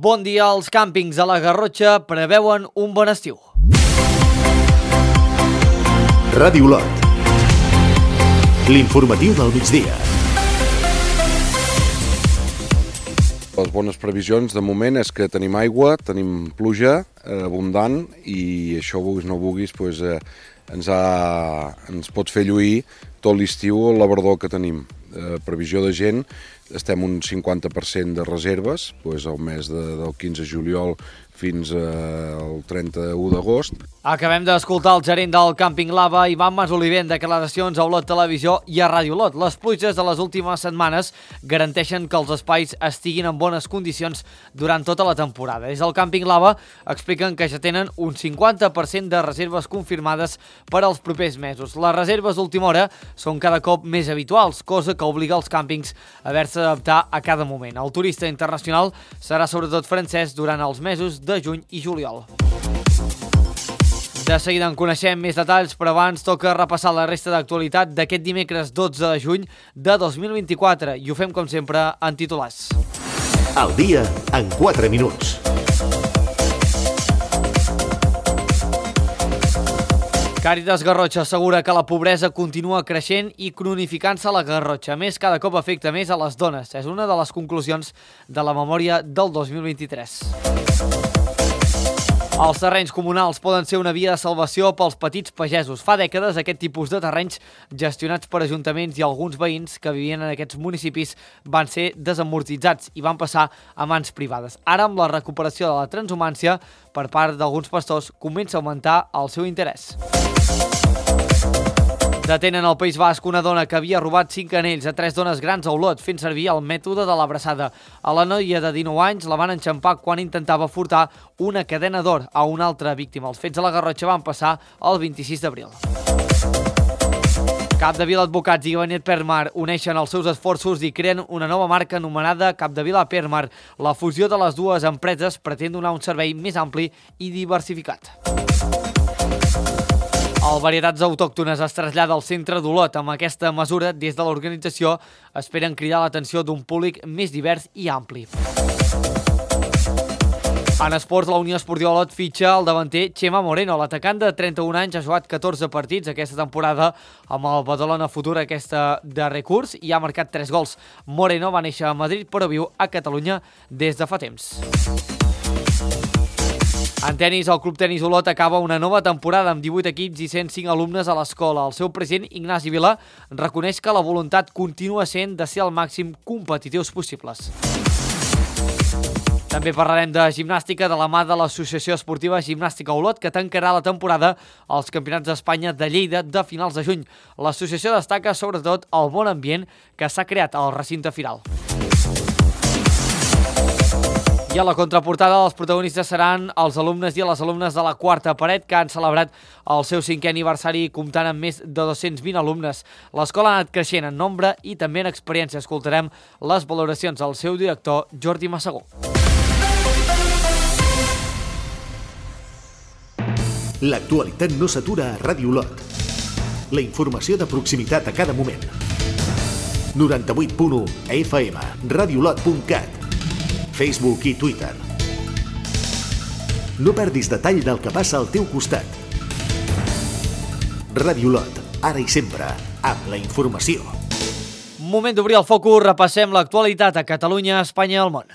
Bon dia, els càmpings a la Garrotxa preveuen un bon estiu. Ràdio Olot. L'informatiu del migdia. Les bones previsions de moment és que tenim aigua, tenim pluja abundant i això, vulguis no vulguis, ens pot fer lluir tot l'estiu la verdor que tenim. Previsió de gent, estem un 50% de reserves, el mes del 15 de juliol fins al 31 d'agost. Acabem d'escoltar el gerent del càmping Lava, Ivan Masoliver, en declaracions a Olot Televisió i a Ràdio Olot. Les pluges de les últimes setmanes garanteixen que els espais estiguin en bones condicions durant tota la temporada. Des del càmping Lava expliquen que ja tenen un 50% de reserves confirmades per als propers mesos. Les reserves d'última hora són cada cop més habituals, cosa que obliga els càmpings a haver-se d'adaptar a cada moment. El turista internacional serà sobretot francès durant els mesos de juny i juliol. De seguida en coneixem més detalls, però abans toca repassar la resta d'actualitat d'aquest dimecres 12 de juny de 2024 i ho fem com sempre en titulars. El dia en 4 minuts. Càritas Garrotxa assegura que la pobresa continua creixent i cronificant-se a la Garrotxa. A més, cada cop afecta més a les dones. És una de les conclusions de la memòria del 2023. Els terrenys comunals poden ser una via de salvació pels petits pagesos. Fa dècades aquest tipus de terrenys gestionats per ajuntaments i alguns veïns que vivien en aquests municipis van ser desamortitzats i van passar a mans privades. Ara, amb la recuperació de la transhumància per part d'alguns pastors, comença a augmentar el seu interès. Detenen al País Basc una dona que havia robat 5 anells a 3 dones grans a Olot fent servir el mètode de l'abraçada. A la noia de 19 anys la van enxampar quan intentava furtar una cadena d'or a una altra víctima. Els fets a la Garrotxa van passar el 26 d'abril. Capdevila Advocats i Gabinet Permar uneixen els seus esforços i creen una nova marca anomenada Capdevila Permar. La fusió de les dues empreses pretén donar un servei més ampli i diversificat. El Varietats Autòctones es trasllada al centre d'Olot. Amb aquesta mesura, des de l'organització, esperen cridar l'atenció d'un públic més divers i ampli. En esports, la Unió Esportiva Olot fitxa el davanter Chema Moreno. L'atacant de 31 anys ha jugat 14 partits aquesta temporada amb el Badalona Futur de recurs i ha marcat 3 gols. Moreno va néixer a Madrid però viu a Catalunya des de fa temps. En tenis, el Club Tenis Olot acaba una nova temporada amb 18 equips i 105 alumnes a l'escola. El seu president, Ignasi Vila, reconeix que la voluntat continua sent de ser el màxim competitius possibles. També parlarem de gimnàstica de la mà de l'Associació Esportiva Gimnàstica Olot, que tancarà la temporada als Campionats d'Espanya de Lleida de finals de juny. L'associació destaca sobretot el bon ambient que s'ha creat al recinte firal. I a la contraportada els protagonistes seran els alumnes i les alumnes de la quarta paret que han celebrat el seu 5è aniversari comptant amb més de 220 alumnes. L'escola ha anat creixent en nombre i també en experiència. Escoltarem les valoracions del seu director, Jordi Massagó. L'actualitat no s'atura a Ràdio Olot. La informació de proximitat a cada moment. 98.1 FM, radioolot.cat. Facebook i Twitter. No perdis detall del que passa al teu costat. Ràdio Olot, ara i sempre, amb la informació. Moment d'obrir el focus, repassem l'actualitat a Catalunya, Espanya i el món.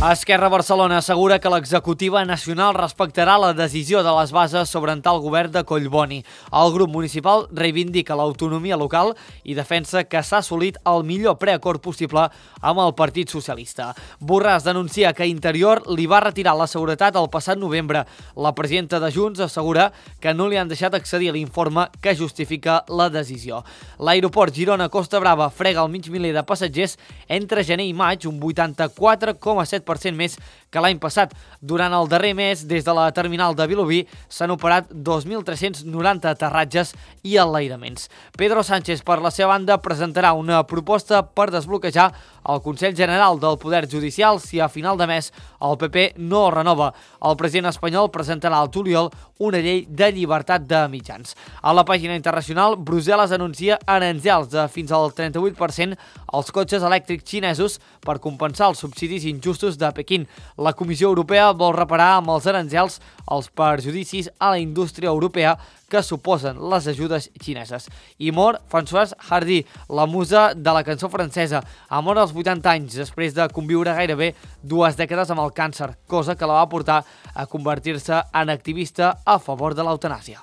Esquerra Barcelona assegura que l'executiva nacional respectarà la decisió de les bases sobre entrar el govern de Collboni. El grup municipal reivindica l'autonomia local i defensa que s'ha assolit el millor preacord possible amb el Partit Socialista. Borràs denuncia que Interior li va retirar la seguretat el passat novembre. La presidenta de Junts assegura que no li han deixat accedir a l'informe que justifica la decisió. L'aeroport Girona-Costa Brava frega el mig miler de passatgers entre gener i maig, un 84,7% 20% més que l'any passat. Durant el darrer mes, des de la terminal de Vilobí, s'han operat 2.390 aterratges i enlairaments. Pedro Sánchez, per la seva banda, presentarà una proposta per desbloquejar el Consell General del Poder Judicial si a final de mes el PP no el renova. El president espanyol presentarà al juliol una llei de llibertat de mitjans. A la pàgina internacional, Brussel·les anuncia aranzels de fins al 38% als cotxes elèctrics xinesos per compensar els subsidis injustos de Pequín. La Comissió Europea vol reparar amb els aranzels els perjudicis a la indústria europea que suposen les ajudes xineses. I mor Françoise Hardy, la musa de la cançó francesa. Ha mort als 80 anys, després de conviure gairebé 2 dècades amb el càncer, cosa que la va portar a convertir-se en activista a favor de l'eutanàsia.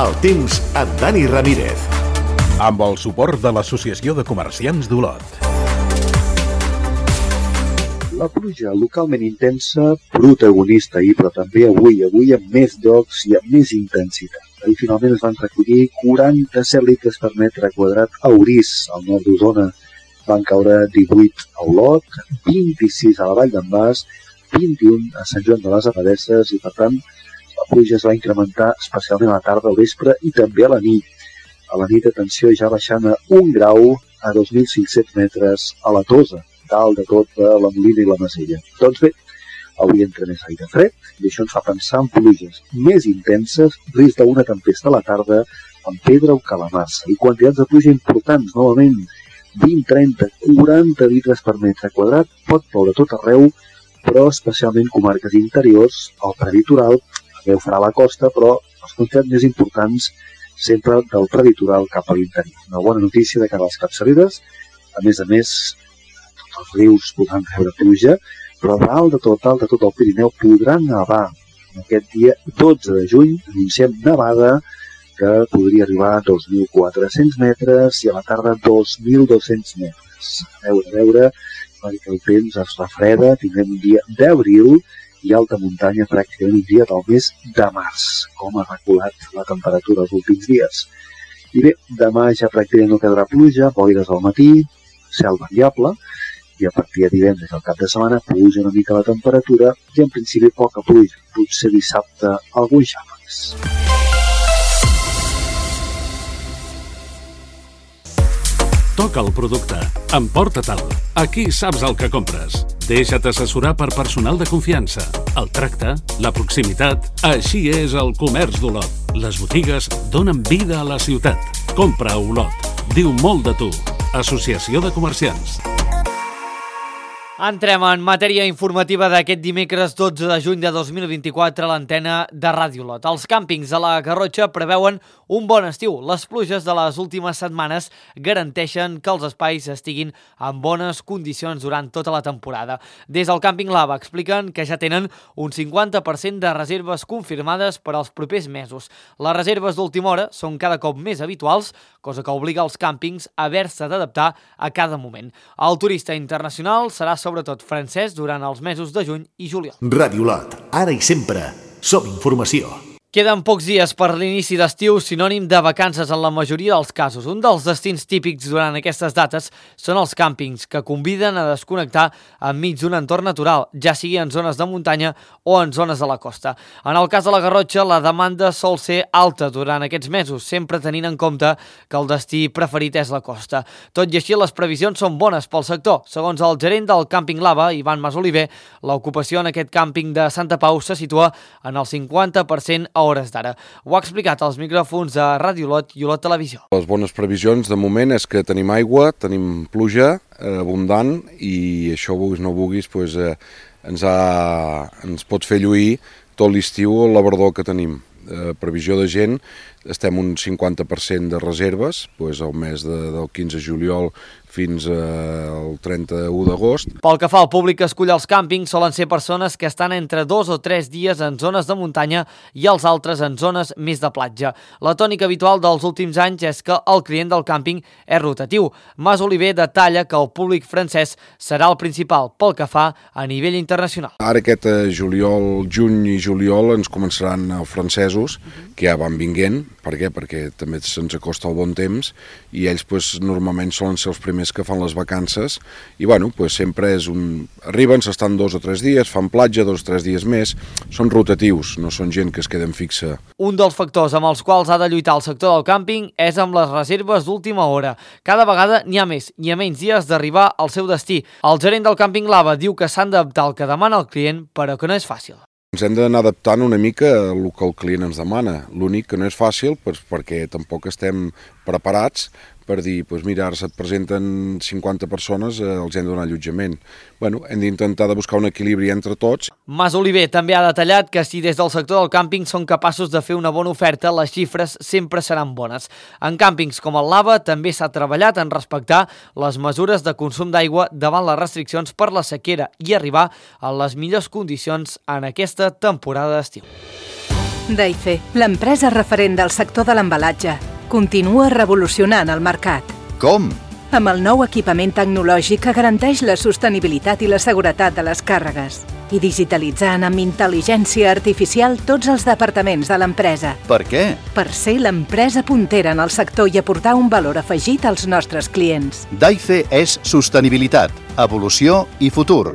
El temps amb Dani Ramírez. Amb el suport de l'Associació de Comerciants d'Olot. La pluja localment intensa, protagonista ahir, però també avui amb més llocs i amb més intensitat. Ahir finalment es van recollir 47 litres per metre quadrat a Orís, al nord d'Osona. Van caure 18 a Olot, 26 a la Vall d'en Bas, 21 a Sant Joan de les Abadesses i, per tant, la pluja es va incrementar especialment a la tarda, al vespre i també a la nit. A la nit, atenció, ja baixant a 1 grau a 2.500 metres a la Tosa, dalt de tot de la Molina i la Masella. Doncs bé, avui entra més aire fred i això ens fa pensar en pluges més intenses, risc d'una tempesta a la tarda amb pedra o calamarsa i quantitats de pluja importants, novament 20, 30, 40 litres per metre quadrat, pot ploure tot arreu, però especialment comarques interiors, el prelitoral, també ho farà a la costa, però les quantitats més importants sempre del prelitoral cap a l'interior. Una bona notícia de cara a les capçaleres, a més, tots els rius podran rebre pluja, però dalt de tot el Pirineu podrà nevar. Aquest dia 12 de juny anunciem nevada que podria arribar a 2.400 metres i a la tarda 2.200 metres. A veure, perquè el temps es refreda, tindrem un dia d'abril i alta muntanya pràcticament un dia del mes de març, com ha reculat la temperatura els últims dies. I bé, demà ja pràcticament no quedarà pluja, boires al matí, cel variable, i a partir de divendres al cap de setmana puja una mica la temperatura i en principi poca pluja, potser dissabte alguns xàfecs. Toca el producte, emporta-te'l. Aquí saps el que compres. Deixa't assessorar per personal de confiança. El tracte, la proximitat, així és el comerç d'Olot. Les botigues donen vida a la ciutat. Compra a Olot. Diu molt de tu. Associació de Comerciants. Entrem en matèria informativa d'aquest dimecres 12 de juny de 2024 a l'antena de Ràdio Olot. Els càmpings a la Garrotxa preveuen un bon estiu. Les pluges de les últimes setmanes garanteixen que els espais estiguin en bones condicions durant tota la temporada. Des del càmping Lava expliquen que ja tenen un 50% de reserves confirmades per als propers mesos. Les reserves d'última hora són cada cop més habituals, cosa que obliga els càmpings a haver-se d'adaptar a cada moment. El turista internacional serà sobretot francès durant els mesos de juny i juliol. Ràdio Olot, ara i sempre, som informació. Queden pocs dies per l'inici d'estiu, sinònim de vacances en la majoria dels casos. Un dels destins típics durant aquestes dates són els càmpings, que conviden a desconnectar enmig d'un entorn natural, ja sigui en zones de muntanya o en zones de la costa. En el cas de la Garrotxa, la demanda sol ser alta durant aquests mesos, sempre tenint en compte que el destí preferit és la costa. Tot i així, les previsions són bones pel sector. Segons el gerent del càmping Lava, Ivan Masoliver, l'ocupació en aquest càmping de Santa Pau se situa en el 50% a hores d'ara. Ho ha explicat als micròfons de Ràdio Olot i Olot Televisió. Les bones previsions de moment és que tenim aigua, tenim pluja abundant i això, vulguis no vulguis, ens pot fer lluir tot l'estiu el labrador que tenim. Previsió de gent, estem un 50% de reserves, el mes del 15 de juliol fins al 31 d'agost. Pel que fa al públic que escull els càmpings, solen ser persones que estan entre 2 o 3 dies en zones de muntanya i els altres en zones més de platja. La tònica habitual dels últims anys és que el client del càmping és rotatiu. Mas Oliver detalla que el públic francès serà el principal pel que fa a nivell internacional. Ara aquest juliol, juny i juliol ens començaran els francesos, que ja van vinguent. Per què? Perquè també se'ns acosta el bon temps i ells normalment solen ser els primers que fan les vacances i sempre és arriben, s'estan 2 o 3 dies, fan platja 2 o 3 dies més, són rotatius, no són gent que es queden fixa. Un dels factors amb els quals ha de lluitar el sector del càmping és amb les reserves d'última hora. Cada vegada n'hi ha més i a menys dies d'arribar al seu destí. El gerent del càmping Lava diu que s'han d'adaptar al que demana el client, però que no és fàcil. Ens hem d'anar adaptant una mica al que el client ens demana. L'únic que no és fàcil, perquè tampoc estem preparats per dir, mira, ara se't presenten 50 persones, els hem de donar allotjament. Hem d'intentar de buscar un equilibri entre tots. Mas Oliver també ha detallat que si des del sector del càmping són capaços de fer una bona oferta, les xifres sempre seran bones. En càmpings com el Lava també s'ha treballat en respectar les mesures de consum d'aigua davant les restriccions per la sequera i arribar a les millors condicions en aquesta temporada d'estiu. Daife, l'empresa referent del sector de l'embalatge, continua revolucionant el mercat. Com? Amb el nou equipament tecnològic que garanteix la sostenibilitat i la seguretat de les càrregues i digitalitzant amb intel·ligència artificial tots els departaments de l'empresa. Per què? Per ser l'empresa puntera en el sector i aportar un valor afegit als nostres clients. Daife és sostenibilitat, evolució i futur.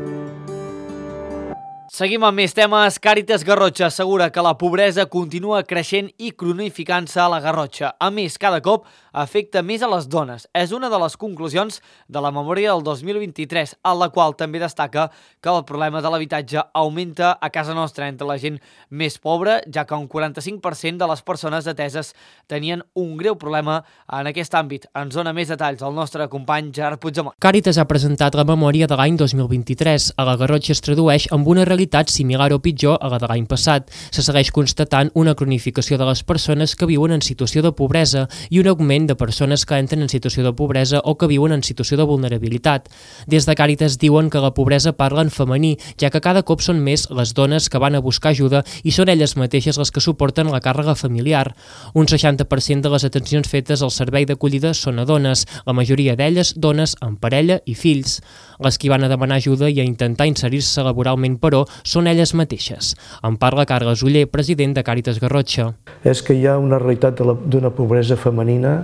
Seguim amb més temes. Càritas Garrotxa assegura que la pobresa continua creixent i cronificant-se a la Garrotxa. A més, cada cop afecta més a les dones. És una de les conclusions de la memòria del 2023, en la qual també destaca que el problema de l'habitatge augmenta a casa nostra entre la gent més pobra, ja que un 45% de les persones ateses tenien un greu problema en aquest àmbit. Ens dona més detalls el nostre company Gerard Puigdemont. Càritas ha presentat la memòria de l'any 2023. A la Garrotxa es tradueix amb una realitat similar o pitjor a la de l'any passat. Se segueix constatant una cronificació de les persones que viuen en situació de pobresa i un augment de persones que entren en situació de pobresa o que viuen en situació de vulnerabilitat. Des de Càritas diuen que la pobresa parla en femení, ja que cada cop són més les dones que van a buscar ajuda i són elles mateixes les que suporten la càrrega familiar. Un 60% de les atencions fetes al servei d'acollida són a dones, la majoria d'elles dones amb parella i fills. Les que van a demanar ajuda i a intentar inserir-se laboralment, però, són elles mateixes. En parla Carles Oller, president de Càritas Garrotxa. És que hi ha una realitat d'una pobresa femenina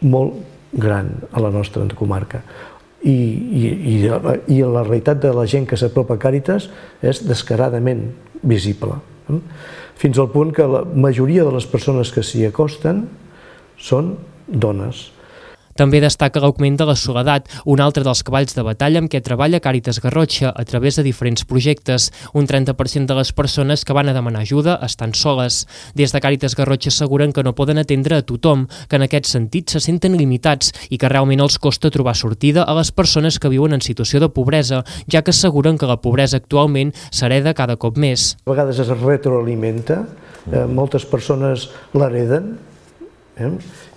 molt gran a la nostra comarca. I la realitat de la gent que s'apropa a Càritas és descaradament visible. Fins al punt que la majoria de les persones que s'hi acosten són dones. També destaca l'augment de la soledat, un altre dels cavalls de batalla amb què treballa Càritas Garrotxa a través de diferents projectes. Un 30% de les persones que van a demanar ajuda estan soles. Des de Càritas Garrotxa asseguren que no poden atendre a tothom, que en aquest sentit se senten limitats i que realment els costa trobar sortida a les persones que viuen en situació de pobresa, ja que asseguren que la pobresa actualment s'hereda cada cop més. A vegades es retroalimenta, moltes persones l'hereden,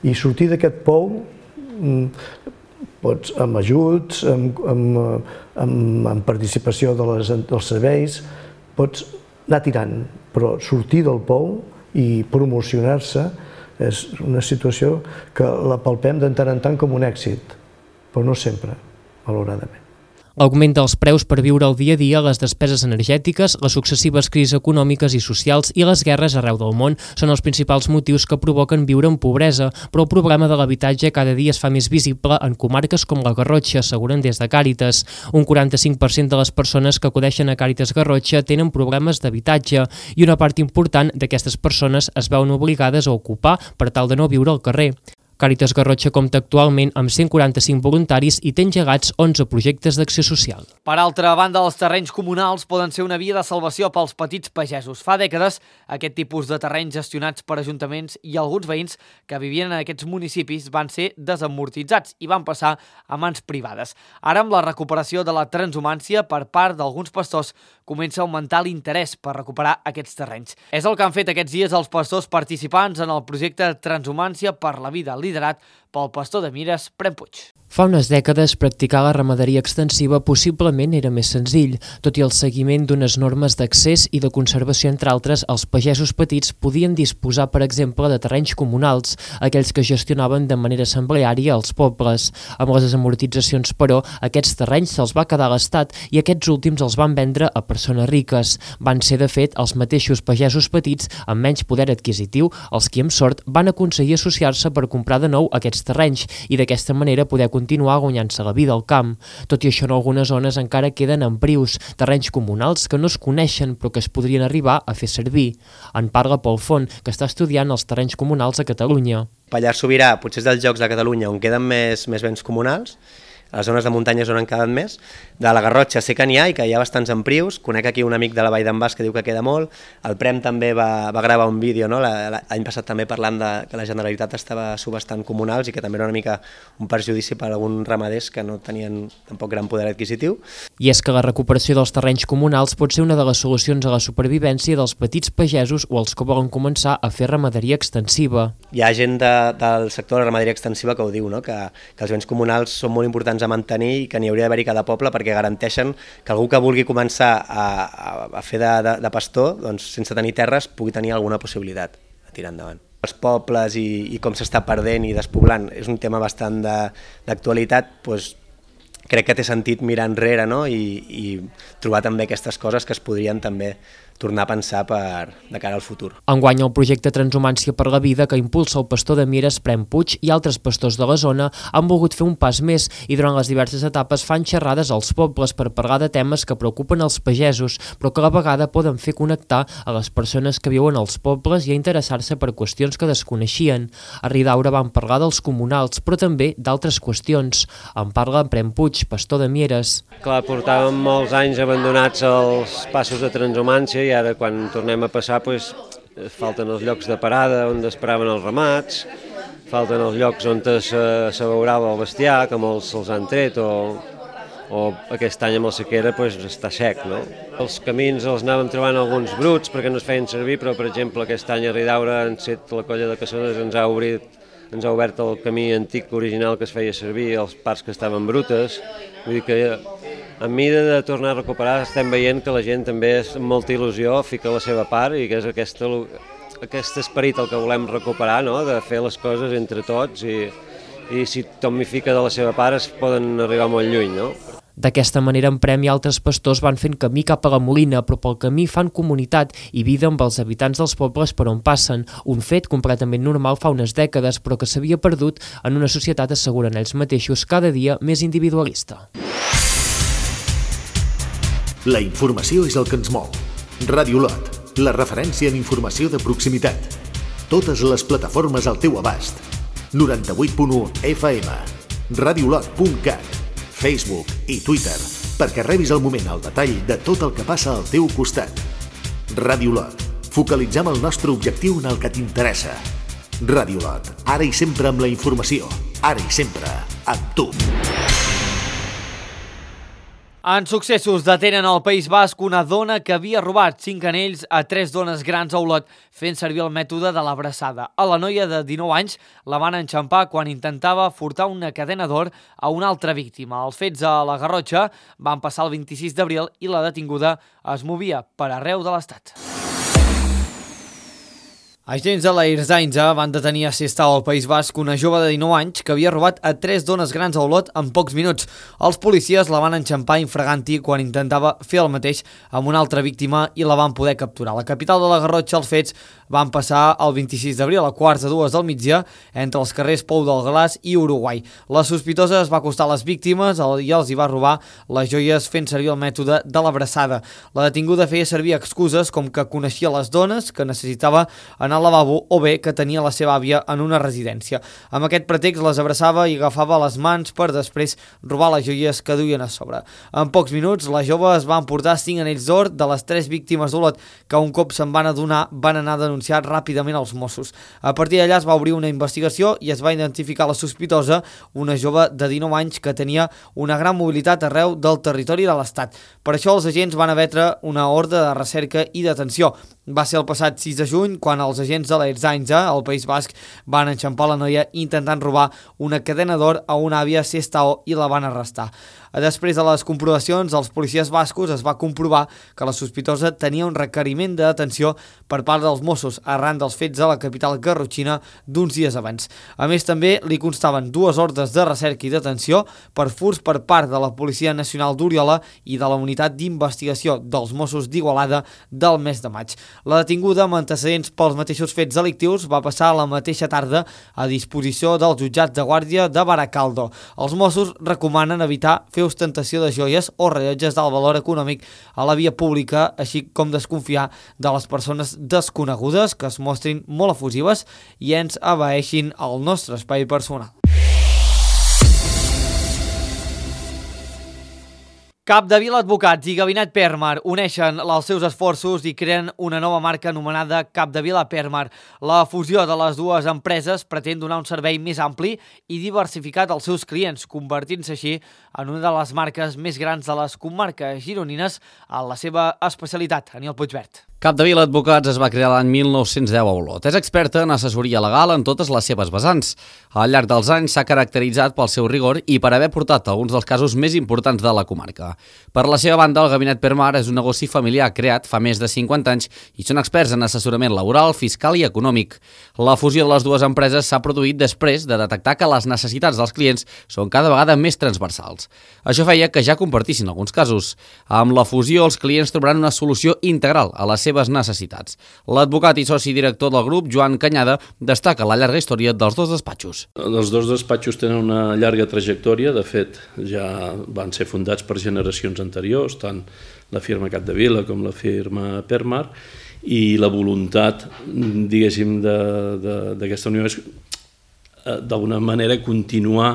i sortir d'aquest pou amb ajuts, amb participació dels serveis, pots anar tirant, però sortir del pou i promocionar-se és una situació que la palpem de tant en tant com un èxit, però no sempre, malauradament. L'augment dels preus per viure el dia a dia, les despeses energètiques, les successives crisis econòmiques i socials i les guerres arreu del món són els principals motius que provoquen viure en pobresa, però el problema de l'habitatge cada dia es fa més visible en comarques com la Garrotxa, asseguren des de Càritas. Un 45% de les persones que acudeixen a Càritas Garrotxa tenen problemes d'habitatge i una part important d'aquestes persones es veuen obligades a ocupar per tal de no viure al carrer. Càritas Garrotxa compta actualment amb 145 voluntaris i té engegats 11 projectes d'acció social. Per altra banda, els terrenys comunals poden ser una via de salvació pels petits pagesos. Fa dècades, aquest tipus de terrenys gestionats per ajuntaments i alguns veïns que vivien en aquests municipis van ser desamortitzats i van passar a mans privades. Ara, amb la recuperació de la transhumància per part d'alguns pastors, comença a augmentar l'interès per recuperar aquests terrenys. És el que han fet aquests dies els pastors participants en el projecte Transhumància per la Vida, liderat pel pastor de Mieres, Prem Puig. Fa unes dècades, practicar la ramaderia extensiva possiblement era més senzill. Tot i el seguiment d'unes normes d'accés i de conservació, entre altres, els pagesos petits podien disposar, per exemple, de terrenys comunals, aquells que gestionaven de manera assembleària els pobles. Amb les desamortitzacions, però, aquests terrenys se'ls va quedar l'Estat i aquests últims els van vendre a persones riques. Van ser, de fet, els mateixos pagesos petits amb menys poder adquisitiu els qui, amb sort, van aconseguir associar-se per comprar de nou aquests terrenys i d'aquesta manera poder continuar guanyant-se la vida al camp. Tot i això, en algunes zones encara queden emprius, terrenys comunals que no es coneixen però que es podrien arribar a fer servir. En parla Pol Font, que està estudiant els terrenys comunals a Catalunya. Pallars Sobirà potser és dels llocs de Catalunya on queden més béns comunals, a les zones de muntanyes on han quedat més. De la Garrotxa sé que n'hi ha i que hi ha bastants emprius. Conec aquí un amic de la Vall d'en Bas que diu que queda molt. El Prem també va gravar un vídeo, no? L'any passat també parlant que la Generalitat estava subhastant comunals i que també era una mica un perjudici per a alguns ramaders que no tenien tampoc gran poder adquisitiu. I és que la recuperació dels terrenys comunals pot ser una de les solucions a la supervivència dels petits pagesos o els que volen començar a fer ramaderia extensiva. Hi ha gent del sector de la ramaderia extensiva que ho diu, no? que els béns comunals són molt importants a mantenir i que n'hi hauria d'haver-hi cada poble perquè garanteixen que algú que vulgui començar a fer de pastor, doncs, sense tenir terres, pugui tenir alguna possibilitat de tirar endavant. Els pobles i com s'està perdent i despoblant és un tema bastant d'actualitat, doncs crec que té sentit mirar enrere, no? I trobar també aquestes coses que es podrien també tornar a pensar de cara al futur. Enguany, el projecte Transhumància per la Vida, que impulsa el pastor de Mieres, Prem Puig, i altres pastors de la zona, han volgut fer un pas més i durant les diverses etapes fan xerrades als pobles per parlar de temes que preocupen els pagesos, però que a la vegada poden fer connectar a les persones que viuen als pobles i a interessar-se per qüestions que desconeixien. A Ridaura van parlar dels comunals, però també d'altres qüestions. En parla Prem Puig, pastor de Mieres. Clar, portàvem molts anys abandonats els passos de transhumància i ara quan tornem a passar falten els llocs de parada on esperaven els ramats, falten els llocs on s'abeurava el bestiar, que molts se'ls han tret o aquest any amb la sequera està sec, no? Els camins els anàvem trobant alguns bruts perquè no es feien servir, però per exemple aquest any a Ridaura la colla de Cassones ens ha obert el camí antic original que es feia servir, els parts que estaven brutes, vull dir que en mida de tornar a recuperar estem veient que la gent també amb molta il·lusió fica la seva part i que és aquest esperit el que volem recuperar, no? De fer les coses entre tots i si tothom hi fica de la seva part es poden arribar molt lluny, no? D'aquesta manera, en Prem i altres pastors van fent camí cap a la Molina, però pel camí fan comunitat i vida amb els habitants dels pobles per on passen, un fet completament normal fa unes dècades, però que s'havia perdut en una societat, asseguren ells mateixos, cada dia més individualista. La informació és el que ens mou. Ràdio Lot, la referència en informació de proximitat. Totes les plataformes al teu abast. 98.1 FM, radiolot.cat, Facebook i Twitter, perquè rebis al moment el detall de tot el que passa al teu costat. Ràdio Lot, focalitzem el nostre objectiu en el que t'interessa. Ràdio Lot, ara i sempre amb la informació, ara i sempre amb tu. En successos detenen al País Basc una dona que havia robat 5 anells a 3 dones grans a Olot fent servir el mètode de l'abraçada. A la noia de 19 anys la van enxampar quan intentava furtar una cadena d'or a una altra víctima. Els fets a la Garrotxa van passar el 26 d'abril i la detinguda es movia per arreu de l'Estat. Agents de la Ertzaintza van detenir a Sestao, al País Basc, una jove de 19 anys que havia robat a 3 dones grans a Olot en pocs minuts. Els policies la van enxampar infraganti quan intentava fer el mateix amb una altra víctima i la van poder capturar. A la capital de la Garrotxa els fets van passar el 26 d'abril a quarts de 2 del migdia entre els carrers Pou del Glaç i Uruguai. La sospitosa es va acostar a les víctimes i els hi va robar les joies fent servir el mètode de l'abraçada. La detinguda feia servir excuses com que coneixia les dones, que necessitava anar al lavabo o bé que tenia la seva àvia en una residència. Amb aquest pretext les abraçava i agafava les mans per després robar les joies que duien a sobre. En pocs minuts la jove es va emportar 5 anells d'or de les 3 víctimes d'Olot que un cop se'n van adonar van anar a denunciar ràpidament als Mossos. A partir d'allà es va obrir una investigació i es va identificar la sospitosa, una jove de 19 anys que tenia una gran mobilitat arreu del territori de l'Estat. Per això els agents van emetre una ordre de recerca i detenció. Va ser el passat 6 de juny quan els agents agents de l'Ertzaintza al País Basc van enxampar la noia intentant robar una cadena d'or a una àvia Sestao i la van arrestar. Després de les comprovacions, els policies bascos es va comprovar que la sospitosa tenia un requeriment de detenció per part dels Mossos arran dels fets a la capital garrotxina d'uns dies abans. A més, també li constaven 2 ordres de recerca i detenció per furts per part de la Policia Nacional d'Oriola i de la Unitat d'Investigació dels Mossos d'Igualada del mes de maig. La detinguda, amb antecedents pels mateixos fets delictius, va passar la mateixa tarda a disposició del jutjat de guàrdia de Baracaldo. Els Mossos recomanen evitar fer ostentació de joies o rellotges d'alt valor econòmic a la via pública, així com desconfiar de les persones desconegudes que es mostrin molt efusives i ens abaeixin el nostre espai personal. Capdevila Advocats i Gabinet Permar uneixen els seus esforços i creen una nova marca anomenada Capdevila Permar. La fusió de les dues empreses pretén donar un servei més ampli i diversificat als seus clients, convertint-se així en una de les marques més grans de les comarques gironines en la seva especialitat. Aniol Puigvert. Capdevila Advocats es va crear l'any 1910 a Olot. És experta en assessoria legal en totes les seves vessants. Al llarg dels anys s'ha caracteritzat pel seu rigor i per haver portat alguns dels casos més importants de la comarca. Per la seva banda, el Gabinet Permar és un negoci familiar creat fa més de 50 anys i són experts en assessorament laboral, fiscal i econòmic. La fusió de les dues empreses s'ha produït després de detectar que les necessitats dels clients són cada vegada més transversals. Això feia que ja compartissin alguns casos. Amb la fusió, els clients trobaran una solució integral a les seves necessitats. L'advocat i soci director del grup, Joan Canyada, destaca la llarga història dels dos despatxos. Els dos despatxos tenen una llarga trajectòria, de fet ja van ser fundats per generacions anteriors, tant la firma Capdevila com la firma Permar, i la voluntat, diguéssim, d'aquesta unió és d'alguna manera continuar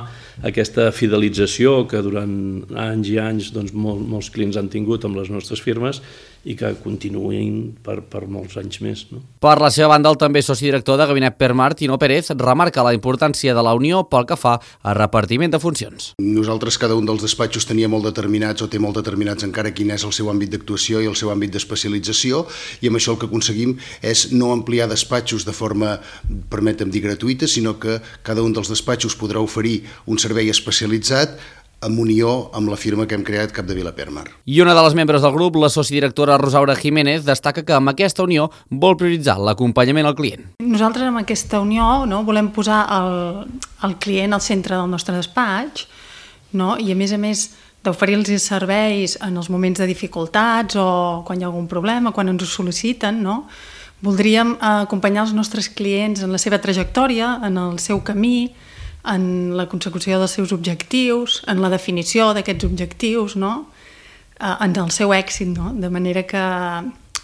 aquesta fidelització que durant anys i anys molts clients han tingut amb les nostres firmes i que continuïn per molts anys més. Per la seva banda, el també soci director de Gabinet Permar, Tino Pérez, remarca la importància de la unió pel que fa a repartiment de funcions. Nosaltres, cada un dels despatxos tenia molt determinats o té molt determinats encara quin és el seu àmbit d'actuació i el seu àmbit d'especialització, i amb això el que aconseguim és no ampliar despatxos de forma, permetem dir, gratuïta, sinó que cada un dels despatxos podrà oferir un servei especialitzat en unió amb la firma que hem creat, Capdevila Permar. I una de les membres del grup, la sociodirectora Rosaura Jiménez, destaca que amb aquesta unió vol prioritzar l'acompanyament al client. Nosaltres amb aquesta unió volem posar el client al centre del nostre despatx, i a més d'oferir-los serveis en els moments de dificultats o quan hi ha algun problema, quan ens ho sol·liciten, voldríem acompanyar els nostres clients en la seva trajectòria, en el seu camí, en la consecució dels seus objectius, en la definició d'aquests objectius, en el seu èxit, de manera que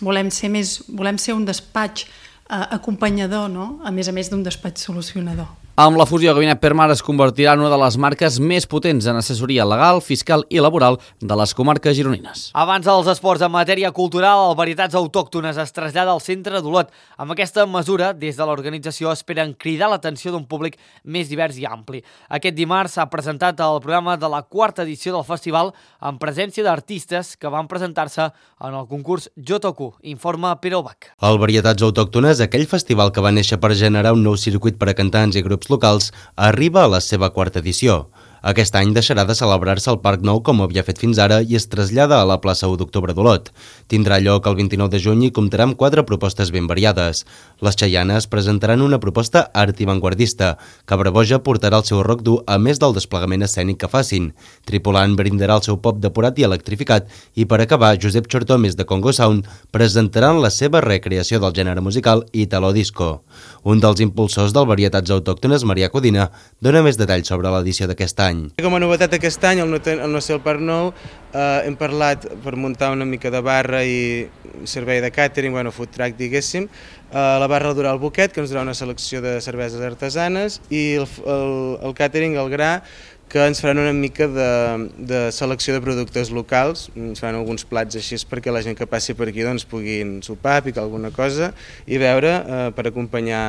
volem ser un despatx acompanyador, a més d'un despatx solucionador. Amb la fusió, Gabinet Permar es convertirà en una de les marques més potents en assessoria legal, fiscal i laboral de les comarques gironines. Abans dels esports en matèria cultural, el Varietats Autòctones es trasllada al centre d'Olot. Amb aquesta mesura, des de l'organització esperen cridar l'atenció d'un públic més divers i ampli. Aquest dimarts s'ha presentat el programa de la 4ª edició del festival en presència d'artistes que van presentar-se en el concurs Jo Toco, informa Pere Ubach. El Varietats Autòctones, aquell festival que va néixer per generar un nou circuit per a cantants i grups locals, arriba a la seva 4ª edició. Aquest any deixarà de celebrar-se al Parc Nou com havia fet fins ara i es trasllada a la plaça 1 d'Octubre d'Olot. Tindrà lloc el 29 de juny i comptarà amb 4 propostes ben variades. Les Xaianes presentaran una proposta art i vanguardista. Cabraboja portarà el seu rock dur a més del desplegament escènic que facin. Tripulant brindarà el seu pop depurat i electrificat i per acabar, Josep Chortomes de Congo Sound presentaran la seva recreació del gènere musical Italo Disco. Un dels impulsors del Varietats Autòctones, Marià Codina, dona més detalls sobre l'edició d'aquest any. Com a novetat aquest any, al no ser el Parc Nou, hem parlat per muntar una mica de barra i servei de càtering, food truck, diguéssim, la barra durà el Boquet, que ens durà una selecció de cerveses artesanes, i el càtering, el gra, que ens faran una mica de selecció de productes locals, ens faran alguns plats així perquè la gent que passi per aquí doncs, puguin sopar, picar alguna cosa i beure per acompanyar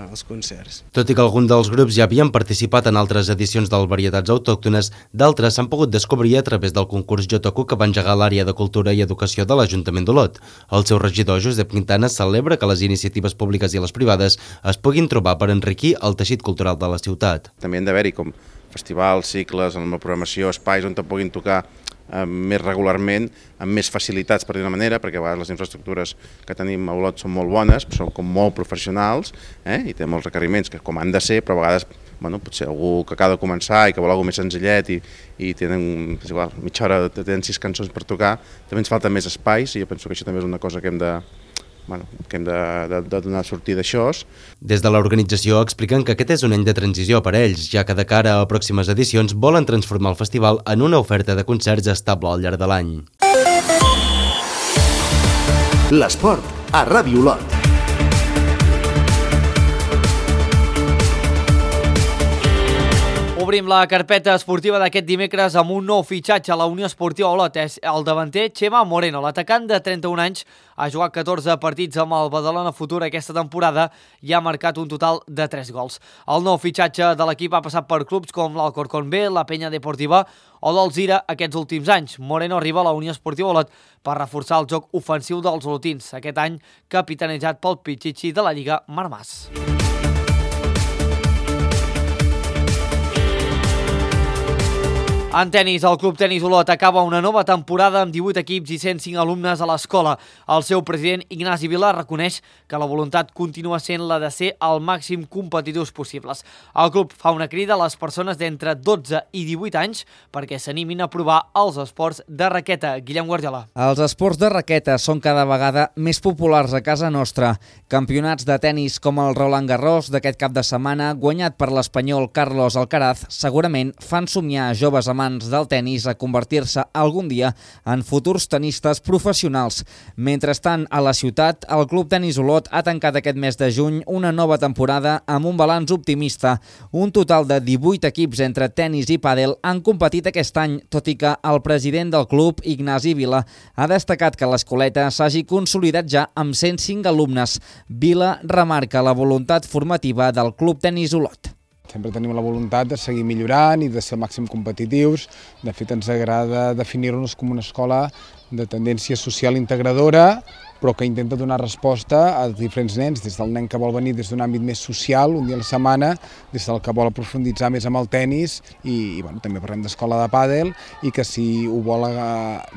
els concerts. Tot i que alguns dels grups ja havien participat en altres edicions del Varietats Autòctones, d'altres s'han pogut descobrir a través del concurs Jo-Toco que va engegar l'àrea de Cultura i Educació de l'Ajuntament d'Olot. El seu regidor, Josep Quintana, celebra que les iniciatives públiques i les privades es puguin trobar per enriquir el teixit cultural de la ciutat. També han d'haver-hi com festivals, cicles, amb la programació, espais on te puguin tocar més regularment, amb més facilitats, per dir una manera, perquè a vegades les infraestructures que tenim a Olot són molt bones, són com molt professionals i tenen molts requeriments que com han de ser, però a vegades potser algú que acaba de començar i que vol alguna més senzillet i tenen, és igual, mitja hora, tenen 6 cançons per tocar, també ens falta més espais i jo penso que això també és una cosa que hem de donar sortida a això. Des de l'organització expliquen que aquest és un any de transició per a ells, ja que de cara a pròximes edicions volen transformar el festival en una oferta de concerts estable al llarg de l'any. L'esport a Ràdio Olot. Obrim la carpeta esportiva d'aquest dimecres amb un nou fitxatge a la Unió Esportiva Olot. És el davanter Chema Moreno. L'atacant de 31 anys ha jugat 14 partits amb el Badalona Futur aquesta temporada i ha marcat un total de 3 gols. El nou fitxatge de l'equip ha passat per clubs com l'Alcorcón B, la Penya Deportiva o l'Alzira aquests últims anys. Moreno arriba a la Unió Esportiva Olot per reforçar el joc ofensiu dels olotins, aquest any capitanejat pel Pichichi de la Lliga Marmàs. En tenis, el Club Tenis Olot acaba una nova temporada amb 18 equips i 105 alumnes a l'escola. El seu president, Ignasi Vila, reconeix que la voluntat continua sent la de ser el màxim competitius possibles. El club fa una crida a les persones d'entre 12 i 18 anys perquè s'animin a provar els esports de raqueta. Guillem Guardiola. Els esports de raqueta són cada vegada més populars a casa nostra. Campionats de tenis com el Roland Garros d'aquest cap de setmana, guanyat per l'espanyol Carlos Alcaraz, segurament fan somiar a joves amants del tenis a convertir-se algun dia en futurs tenistes professionals. Mentrestant, a la ciutat, el Club Tenis Olot ha tancat aquest mes de juny una nova temporada amb un balanç optimista. Un total de 18 equips entre tenis i pàdel han competit aquest any, tot i que el president del club, Ignasi Vila, ha destacat que l'escoleta s'hagi consolidat ja amb 105 alumnes. Vila remarca la voluntat formativa del Club Tenis Olot. Sempre tenim la voluntat de seguir millorant i de ser al màxim competitius. De fet, ens agrada definir-nos com una escola de tendència social integradora, però que intenta donar resposta a diferents nens, des del nen que vol venir des d'un àmbit més social, un dia a la setmana, des del que vol aprofunditzar més amb el tenis i també parlem d'escola de pàdel i que si ho vol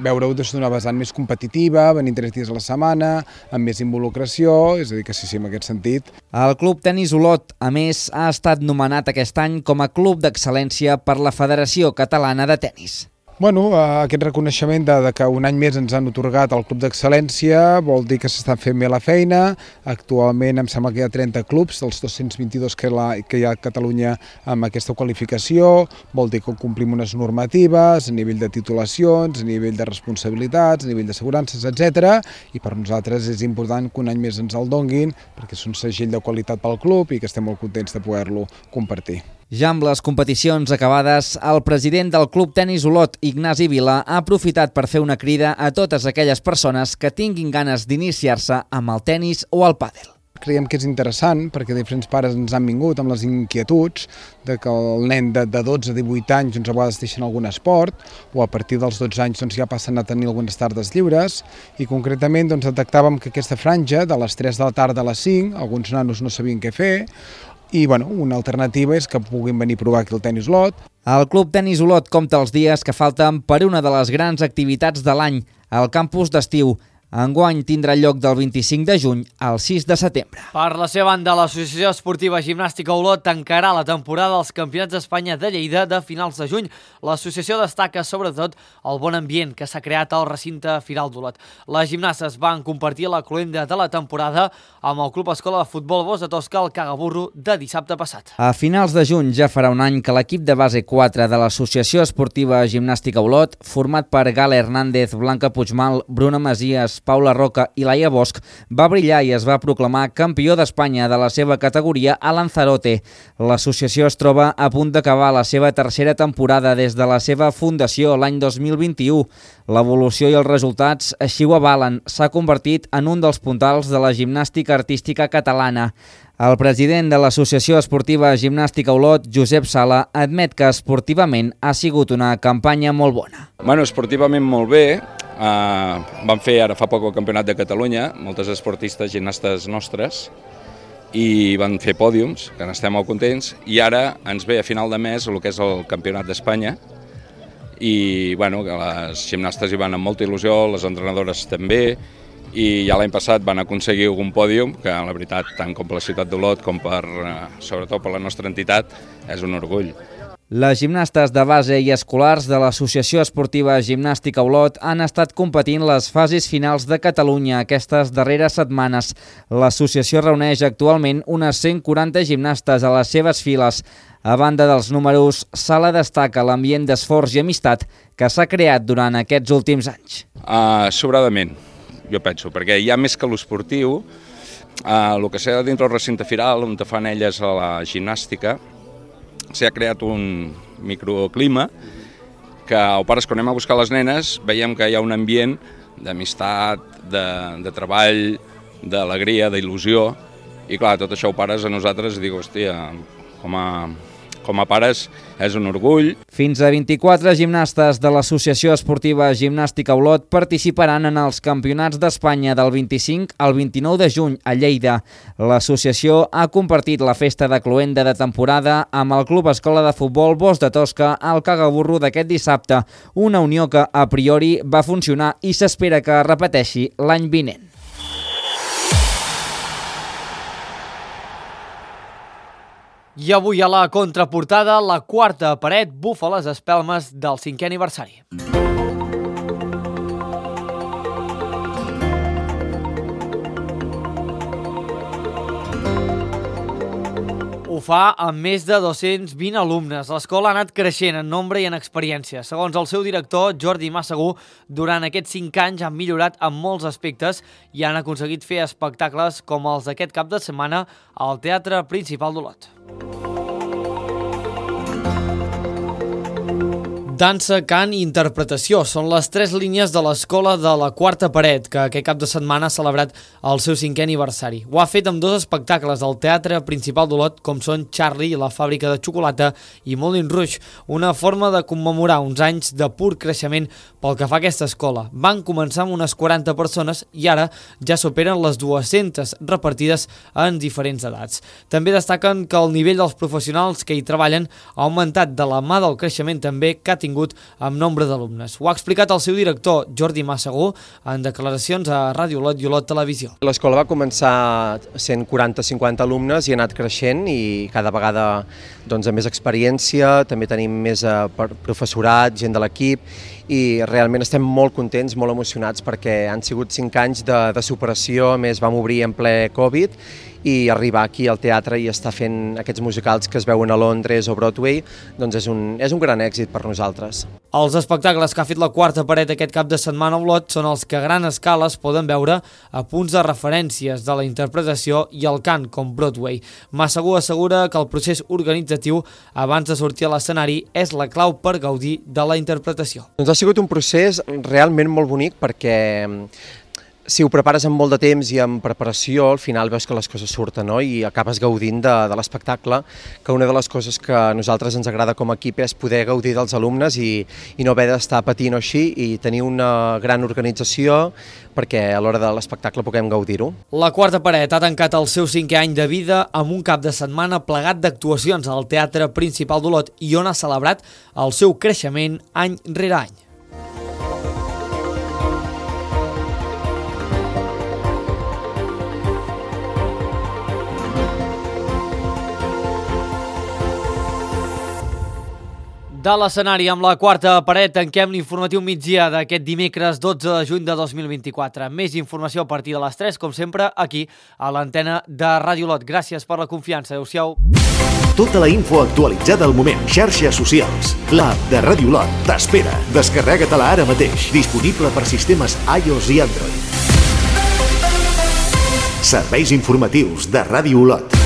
veure-ho des d'una vessant més competitiva, venint 3 dies a la setmana, amb més involucració, és a dir, que sí, en aquest sentit. El Club Tenis Olot, a més, ha estat nomenat aquest any com a Club d'Excel·lència per la Federació Catalana de Tenis. Aquest reconeixement de que un any més ens han atorgat el Club d'Excel·lència vol dir que s'està fent bé la feina. Actualment em sembla que hi ha 30 clubs dels 222 que hi ha a Catalunya amb aquesta qualificació. Vol dir que complim unes normatives a nivell de titulacions, a nivell de responsabilitats, a nivell d'assegurances, etc. I per nosaltres és important que un any més ens el donguin perquè és un segell de qualitat pel club i que estem molt contents de poder-lo compartir. Ja amb les competicions acabades, el president del Club Tenis Olot, Ignasi Vila, ha aprofitat per fer una crida a totes aquelles persones que tinguin ganes d'iniciar-se amb el tenis o el pàdel. Creiem que és interessant perquè diferents pares ens han vingut amb les inquietuds de que el nen de 12 a 18 anys a vegades deixen algun esport o a partir dels 12 anys ja passen a tenir algunes tardes lliures i concretament detectàvem que aquesta franja de les 3 de la tarda a les 5, alguns nanos no sabien què fer i una alternativa és que puguin venir a provar aquí el Tenis Olot. El Club Tenis Olot compta els dies que falten per una de les grans activitats de l'any, el campus d'estiu. Enguany tindrà lloc del 25 de juny al 6 de setembre. Per la seva banda, l'Associació Esportiva Gimnàstica Olot tancarà la temporada dels Campionats d'Espanya de Lleida de finals de juny. L'associació destaca sobretot el bon ambient que s'ha creat al recinte Firal d'Olot. Les gimnastes van compartir la cloenda de la temporada amb el Club Escola de Futbol Bos de Tosca al Cagaburro de dissabte passat. A finals de juny ja farà un any que l'equip de base 4 de l'Associació Esportiva Gimnàstica Olot, format per Gala Hernández, Blanca Puigmal, Bruna Masies, Ribes, Paula Roca i Laia Bosch, va brillar i es va proclamar campió d'Espanya de la seva categoria a Lanzarote. L'associació es troba a punt d'acabar la seva tercera temporada des de la seva fundació l'any 2021. L'evolució i els resultats així ho avalen. S'ha convertit en un dels puntals de la gimnàstica artística catalana. El president de l'Associació Esportiva Gimnàstica Olot, Josep Sala, admet que esportivament ha sigut una campanya molt bona. Bueno, esportivament molt bé. Vam fer ara fa poc el Campionat de Catalunya, moltes esportistes, gimnastes nostres, i van fer pòdiums, que n'estem molt contents, i ara ens ve a final de mes el que és el Campionat d'Espanya, i bueno, que les gimnastes hi van amb molta il·lusió, les entrenadores també, i ja l'any passat van aconseguir algun pòdium, que la veritat, tant com per la ciutat d'Olot com sobretot per la nostra entitat, és un orgull. Les gimnastes de base i escolars de l'Associació Esportiva Gimnàstica Olot han estat competint les fases finals de Catalunya aquestes darreres setmanes. L'associació reuneix actualment unes 140 gimnastes a les seves files. A banda dels números, Sala destaca l'ambient d'esforç i amistat que s'ha creat durant aquests últims anys. Sobradament, jo penso, perquè hi ha més que l'esportiu, el que s'ha dintre el recinte firal, on fan elles a la gimnàstica, s'ha creat un microclima que a pares, quan anem a buscar les nenes, veiem que hi ha un ambient d'amistat, de treball, d'alegria, d'il·lusió, i clar, tot això ho pares a nosaltres i dic, hòstia, com a pares és un orgull. Fins a 24 gimnastes de l'Associació Esportiva Gimnàstica Olot participaran en els Campionats d'Espanya del 25 al 29 de juny a Lleida. L'associació ha compartit la festa de cloenda de temporada amb el Club Escola de Futbol Bosc de Tosca al Cagaburro d'aquest dissabte, una unió que a priori va funcionar i s'espera que es repeteixi l'any vinent. I avui a la contraportada, la quarta paret bufa les espelmes del 5è aniversari. Ho fa amb més de 220 alumnes. L'escola ha anat creixent en nombre i en experiència. Segons el seu director, Jordi Massagú, durant aquests 5 anys han millorat en molts aspectes i han aconseguit fer espectacles com els d'aquest cap de setmana al Teatre Principal d'Olot. Dansa, cant i interpretació són les 3 línies de l'escola de la quarta paret, que aquest cap de setmana ha celebrat el seu 5è aniversari. Ho ha fet amb 2 espectacles al Teatre Principal d'Olot, com són Charlie i la fàbrica de xocolata i Moulin Rouge, una forma de commemorar uns anys de pur creixement pel que fa a aquesta escola. Van començar amb unes 40 persones i ara ja superen les 200 repartides en diferents edats. També destaquen que el nivell dels professionals que hi treballen ha augmentat de la mà del creixement també que ha tingut amb nombre d'alumnes. Ho ha explicat el seu director, Jordi Massagú, en declaracions a Ràdio Olot i Olot Televisió. L'escola va començar sent 40-50 alumnes i ha anat creixent i cada vegada amb més experiència, també tenim més professorat, gent de l'equip i realment estem molt contents, molt emocionats perquè han sigut 5 anys de superació, a més vam obrir en ple Covid i arribar aquí al teatre i estar fent aquests musicals que es veuen a Londres o Broadway, doncs és un gran èxit per nosaltres. Els espectacles que ha fet la quarta paret aquest cap de setmana a Olot són els que a gran escala es poden veure a punts de referències de la interpretació i el cant, com Broadway. Massagú assegura que el procés organitzatiu abans de sortir a l'escenari és la clau per gaudir de la interpretació. Doncs ha sigut un procés realment molt bonic perquè si ho prepares amb molt de temps i amb preparació, al final veus que les coses surten, no? I acabes gaudint de l'espectacle, que una de les coses que a nosaltres ens agrada com a equip és poder gaudir dels alumnes i no haver d'estar patint o així i tenir una gran organització perquè a l'hora de l'espectacle puguem gaudir-ho. La quarta paret ha tancat el seu 5è any de vida amb un cap de setmana plegat d'actuacions al Teatre Principal d'Olot i on ha celebrat el seu creixement any rere any. De l'escenari amb la quarta paret tanquem l'informatiu migdia d'aquest dimecres 12 de juny de 2024. Més informació a partir de les 3, com sempre, aquí a l'antena de Ràdio Olot. Gràcies per la confiança. Adéu-siau. Tota la info actualitzada al moment. Xarxes socials. L'app de Ràdio Olot t'espera. Descarrega-te-la ara mateix. Disponible per sistemes iOS i Android. Serveis informatius de Ràdio Olot.